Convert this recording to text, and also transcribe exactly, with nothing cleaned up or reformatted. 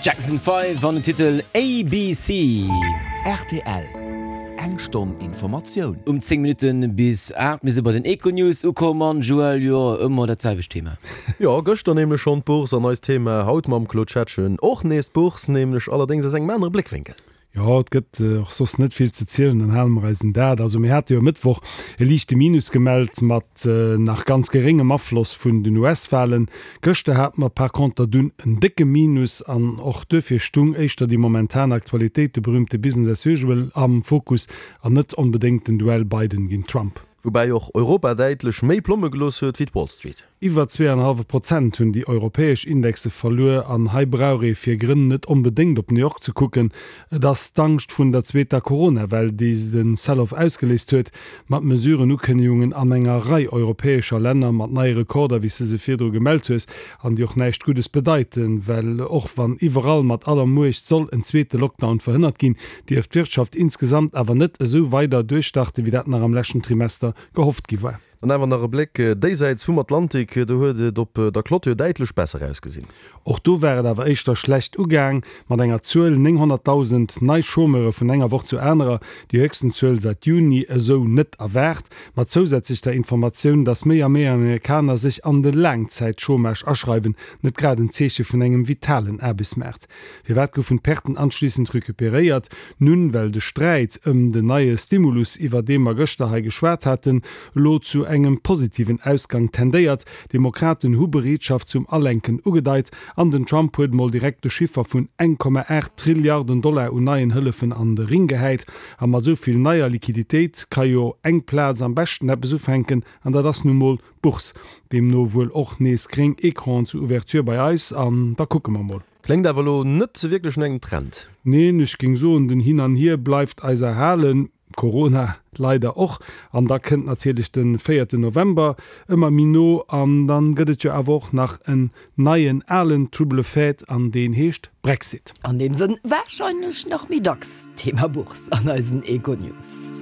Jackson Five an den Titel ABC. Rtl, Eng Stonn Informatioun. Um zéng Minutte bis aacht, mir si bei den Econews ukomm an Joël, jo, ëmmer dat selwecht Thema. Jo, gëschter nämlech schonn d'Bourse an eist Thema haut mam Claude Schettgen och nees d'Bourse, nämlech allerdéngs aus engem anere Bléckwénkel. Jo, et gëtt och soss net vill ze zielen, dann hale mer eis un dat. Also mir hate jo e Mëttwoch e liichte Minus gemellt, mat nach ganz geréngem Afloss vun den U S-Walen. Gëschter hate mer par conter dunn en décke Minus an och duerfir stung éischter déi momentan Aktualitéit, de berühmte Business as usual, am Fokus an net onbedéngt den Duell Biden géint Trump. Woubäi och Europa däitlech méi Plomme gelooss huet wéi d'Wall Street. Iwwer zwee an e hallwe Prozent hunn déi europäesch Indexe verluer an hei brauch ee fir Grënn net onbedéngt op New York ze kucken. Et ass d'Angscht vrun der zweeter Corona-Well, déi de Sell-off ausgeléist huet, mat Mesuren-Ukënnegungen an enger Rei europäescher Länner, mat neie Rekorder, wéi s de se virdru gemellt hues, an déi och näischt Guddes bedeiten, well och wann iwwerall mat aller Muecht soll en zweete Lockdown verhënnert ginn, dierf d'Wirtschaft insgesamt awer net esou weider duerchstarte wéi dat nach am leschten Trimester gehofft gi war. Dann awer nach e Bléck déisäits vum Atlantik, do huet et op der Clôture däitlech besser ausgesinn. Och do war et awer éischter schlecht ugaang, mat enger Zuel, nénghonnertdausend nei Chômeure vun enger Woch zur anerer, déi héchsten Zuel säit Juni, esou net erwaart, mat zousätzlech der Informatioun, datt méi a méi Amerikaner sech an de Laangzäitchômage aschreiwen, net grad en Zeeche vun engem vitalen Aarbechtsmaart. Firwat goufen d'Perten anschliissend recuperéiert? Nun, well de Sträit ëm den neie Stimulus, iwwer dee mer gëschter hei geschwat haten, elo zu engem positiven Ausgang tendéiert. D'Demokraten hu Bereetschaft zum Alenken ugedeit an den Trump huet mol direkt de Chiffer vun eng Komma aacht Trilliarden Dollar un neien Hëllefen an de Ring gehäit. A mat esou vill neier Liquiditéit ka jo eng Plaz am beschten eppes ufänken, an dat ass nu mol d'Bourse. Deemno wuel och nees gréng Ecranen zur Ouverture bei eis an da kucke mer mol. Kléngt awer elo net wierklech no engem Trend. Neen, ech géing soen, den Hin an Hier bleift eis erhalen, Corona leider och. An da kënnt natierlech de véierten November ëmmer méi no an dann gëtt et jo awer och nach en neien alen Trouble fête an deen heescht Brexit. An deem Sënn warscheinlech nach méi dacks Thema Bourse an eisen Econews.